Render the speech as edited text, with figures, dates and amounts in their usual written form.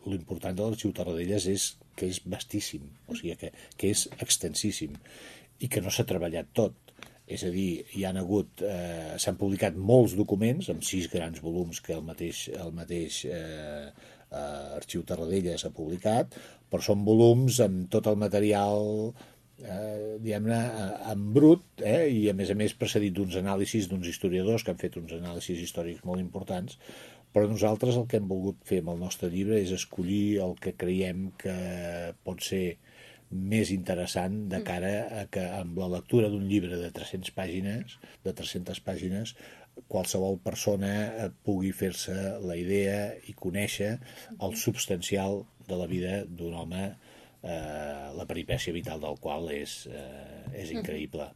l'important de l'Arxiu Tarradellas és que és vastíssim, o sigui que és extensíssim i que no s'ha treballat tot. És a dir, s'han publicat molts documents, amb 6 grans volums que el mateix Arxiu Tarradellas ha publicat, però són volums amb tot el material diguem-ne, en brut, i a més precedit d'uns anàlisis d'uns historiadors que han fet uns anàlisis històrics molt importants, però nosaltres el que hem volgut fer amb el nostre llibre és escollir el que creiem que pot ser més interessant de cara a que amb la lectura d'un llibre de 300 pàgines, qualsevol persona pugui fer-se la idea i conèixer el substancial de la vida d'un home, la peripècia vital del qual és increïble.